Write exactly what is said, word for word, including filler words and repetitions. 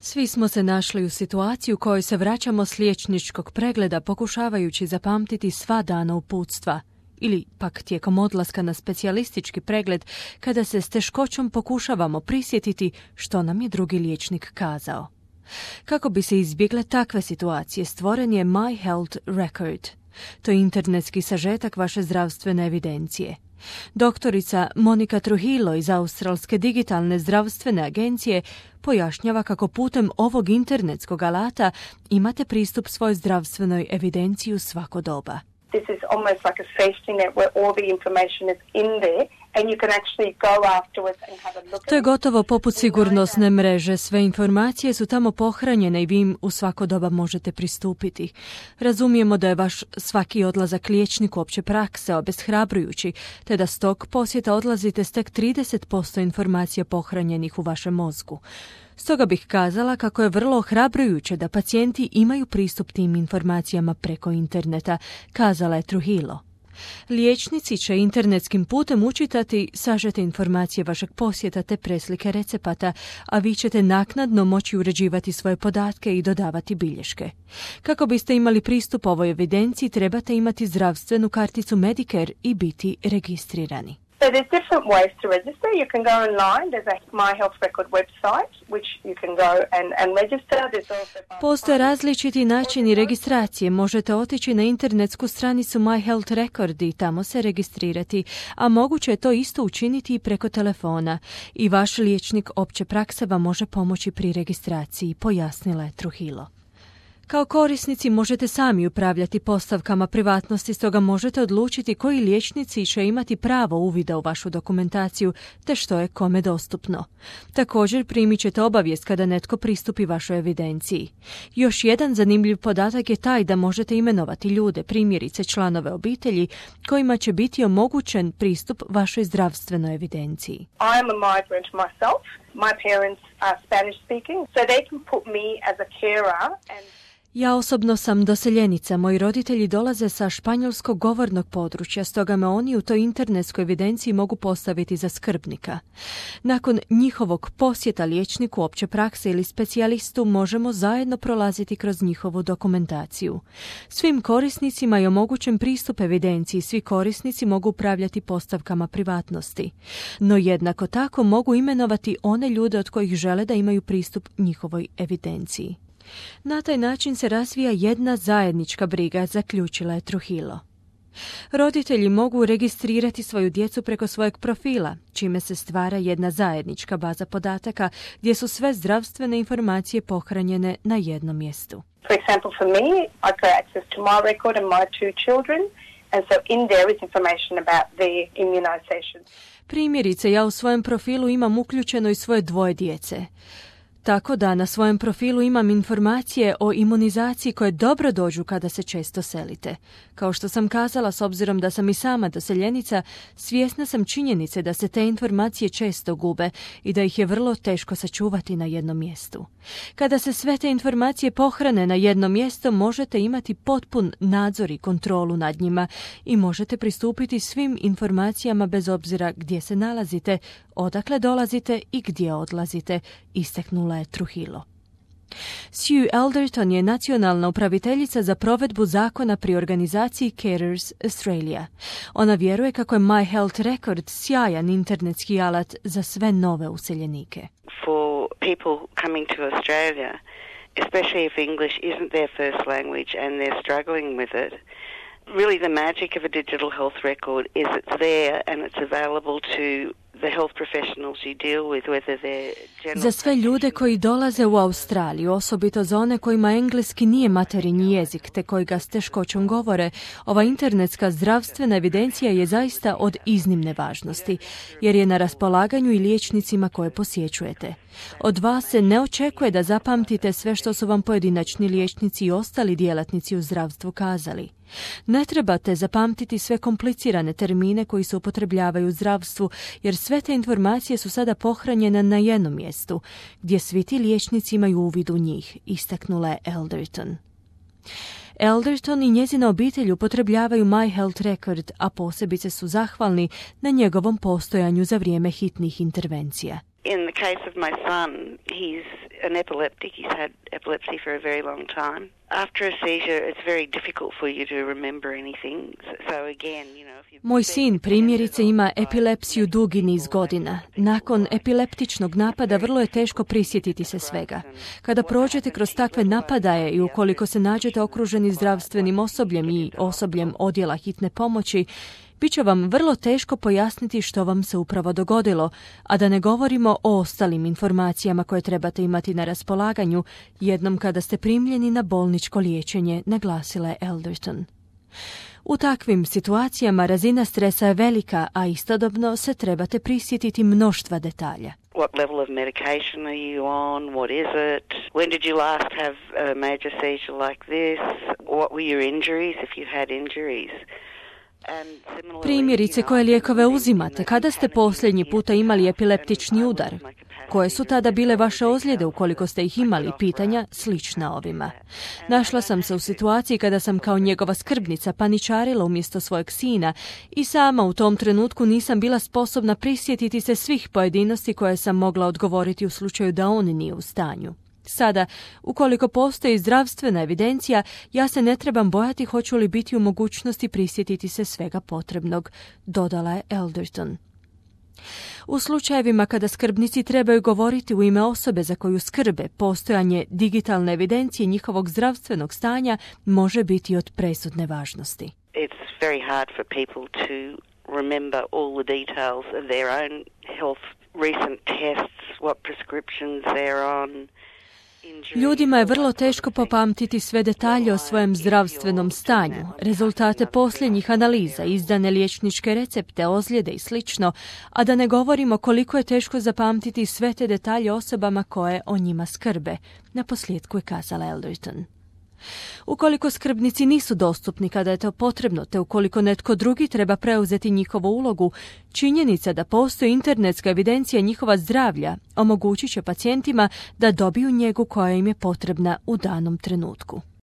Svi smo se našli u situaciji u kojoj se vraćamo s liječničkog pregleda pokušavajući zapamtiti sva dana uputstva, ili pak tijekom odlaska na specijalistički pregled kada se s teškoćom pokušavamo prisjetiti što nam je drugi liječnik kazao. Kako bi se izbjegle takve situacije, stvoren je My Health Record. To je internetski sažetak vaše zdravstvene evidencije. Doktorica Monica Trujillo iz Australske digitalne zdravstvene agencije pojašnjava kako putem ovog internetskog alata imate pristup svojoj zdravstvenoj evidenciji u svako doba. This is almost like a safety net where all the information is in there and you can actually go afterwards and have a look at it. To je gotovo poput sigurnosne mreže. Sve informacije su tamo pohranjene i vi im u svako doba možete pristupiti. Razumijemo da je vaš svaki odlazak liječniku opće prakse obeshrabrujući, te da s tog posjeta odlazite s tek trideset posto informacija pohranjenih u vašem mozgu. Stoga bih kazala kako je vrlo ohrabrujuće da pacijenti imaju pristup tim informacijama preko interneta, kazala je Trujillo. Liječnici će internetskim putem učitati sažete informacije vašeg posjeta te preslike recepata, a vi ćete naknadno moći uređivati svoje podatke i dodavati bilješke. Kako biste imali pristup ovoj evidenciji, trebate imati zdravstvenu karticu Medicare i biti registrirani. So there's different ways to register. You can go online. There's a My Health Record website which you can go and, and register. There's also... Postoje različiti načini registracije. Možete otići na internetsku stranicu My Health Record i tamo se registrirati, a moguće je to isto učiniti i preko telefona. I vaš liječnik opće prakse vam može pomoći pri registraciji, pojasnila je Trujillo. Kao korisnici možete sami upravljati postavkama privatnosti, stoga možete odlučiti koji liječnici će imati pravo uvida u vašu dokumentaciju, te što je kome dostupno. Također primit ćete obavijest kada netko pristupi vašoj evidenciji. Još jedan zanimljiv podatak je taj da možete imenovati ljude, primjerice članove obitelji, kojima će biti omogućen pristup vašoj zdravstvenoj evidenciji. I am a migrant myself. My parents are Spanish speaking, so they can put me as a carer and Ja osobno sam doseljenica. Moji roditelji dolaze sa španjolskog govornog područja, stoga me oni u toj internetskoj evidenciji mogu postaviti za skrbnika. Nakon njihovog posjeta liječniku opće prakse ili specijalistu možemo zajedno prolaziti kroz njihovu dokumentaciju. Svim korisnicima je omogućen pristup evidenciji, svi korisnici mogu upravljati postavkama privatnosti. No jednako tako mogu imenovati one ljude od kojih žele da imaju pristup njihovoj evidenciji. Na taj način se razvija jedna zajednička briga, zaključila je Trujillo. Roditelji mogu registrirati svoju djecu preko svojeg profila, čime se stvara jedna zajednička baza podataka gdje su sve zdravstvene informacije pohranjene na jednom mjestu. For example, for me, I got access to my record and my two children, and so in there is information about their immunization. Primjerice, ja u svojem profilu imam uključeno i svoje dvoje djece. Tako da na svojem profilu imam informacije o imunizaciji koje dobro dođu kada se često selite. Kao što sam kazala, s obzirom da sam i sama doseljenica, svjesna sam činjenice da se te informacije često gube i da ih je vrlo teško sačuvati na jednom mjestu. Kada se sve te informacije pohrane na jedno mjesto, možete imati potpun nadzor i kontrolu nad njima i možete pristupiti svim informacijama bez obzira gdje se nalazite, odakle dolazite i gdje odlazite, istaknula je Trujillo. Sue Elderton je nacionalna upraviteljica za provedbu zakona pri organizaciji Carers Australia. Ona vjeruje kako je My Health Record sjajan internetski alat za sve nove useljenike. For people coming to Australia, especially if English isn't their first language and they're struggling with it, really the magic of a digital health record is it's there and it's available to the health professionals you deal with, whether they're general... Za sve ljude koji dolaze u Australiju, osobito za one kojima engleski nije materinji jezik te koji ga s teškoćom govore, ova internetska zdravstvena evidencija je zaista od iznimne važnosti, jer je na raspolaganju i liječnicima koje posjećujete. Od vas se ne očekuje da zapamtite sve što su vam pojedinačni liječnici i ostali djelatnici u zdravstvu kazali. Ne trebate zapamtiti sve komplicirane termine koji se upotrebljavaju u zdravstvu, jer sve te informacije su sada pohranjene na jednom mjestu, gdje svi ti liječnici imaju uvid u njih, istaknula je Elderton. Elderton i njezina obitelj upotrebljavaju My Health Record, a posebice su zahvalni na njegovom postojanju za vrijeme hitnih intervencija. In the case of my son, he's an epileptic. He's had epilepsy for a very long time. After a seizure, it's very difficult for you to remember anything. So again, you know, if you... Moj sin primjerice ima epilepsiju dugi niz godina. Nakon epileptičnog napada vrlo je teško prisjetiti se svega. Kada prođete kroz takve napadaje i ukoliko se nađete okruženi zdravstvenim osobljem i osobljem odjela hitne pomoći, bit će vam vrlo teško pojasniti što vam se upravo dogodilo, a da ne govorimo o ostalim informacijama koje trebate imati na raspolaganju jednom kada ste primljeni na bolničko liječenje, naglasila je Elderton. U takvim situacijama razina stresa je velika, a istodobno se trebate prisjetiti mnoštva detalja. What level of medication are you on? What is it? When did you last have a major seizure like this? What were your injuries if you had injuries? Primjerice, koje lijekove uzimate? Kada ste posljednji puta imali epileptični udar? Koje su tada bile vaše ozljede ukoliko ste ih imali? Pitanja slična ovima. Našla sam se u situaciji kada sam kao njegova skrbnica paničarila umjesto svojeg sina i sama u tom trenutku nisam bila sposobna prisjetiti se svih pojedinosti koje sam mogla odgovoriti u slučaju da on nije u stanju. Sada, ukoliko postoji zdravstvena evidencija, ja se ne trebam bojati hoću li biti u mogućnosti prisjetiti se svega potrebnog, dodala je Elderton. U slučajevima kada skrbnici trebaju govoriti u ime osobe za koju skrbe, postojanje digitalne evidencije njihovog zdravstvenog stanja može biti od presudne važnosti. It's very hard for people to remember all the details of their own health, recent tests, what prescriptions they're on. Ljudima je vrlo teško popamtiti sve detalje o svojem zdravstvenom stanju, rezultate posljednjih analiza, izdane liječničke recepte, ozljede i sl., a da ne govorimo koliko je teško zapamtiti sve te detalje osobama koje o njima skrbe, naposljetku je kazala Elderton. Ukoliko skrbnici nisu dostupni kada je to potrebno, te ukoliko netko drugi treba preuzeti njihovu ulogu, činjenica da postoji internetska evidencija njihova zdravlja omogućit će pacijentima da dobiju njegu koja im je potrebna u danom trenutku.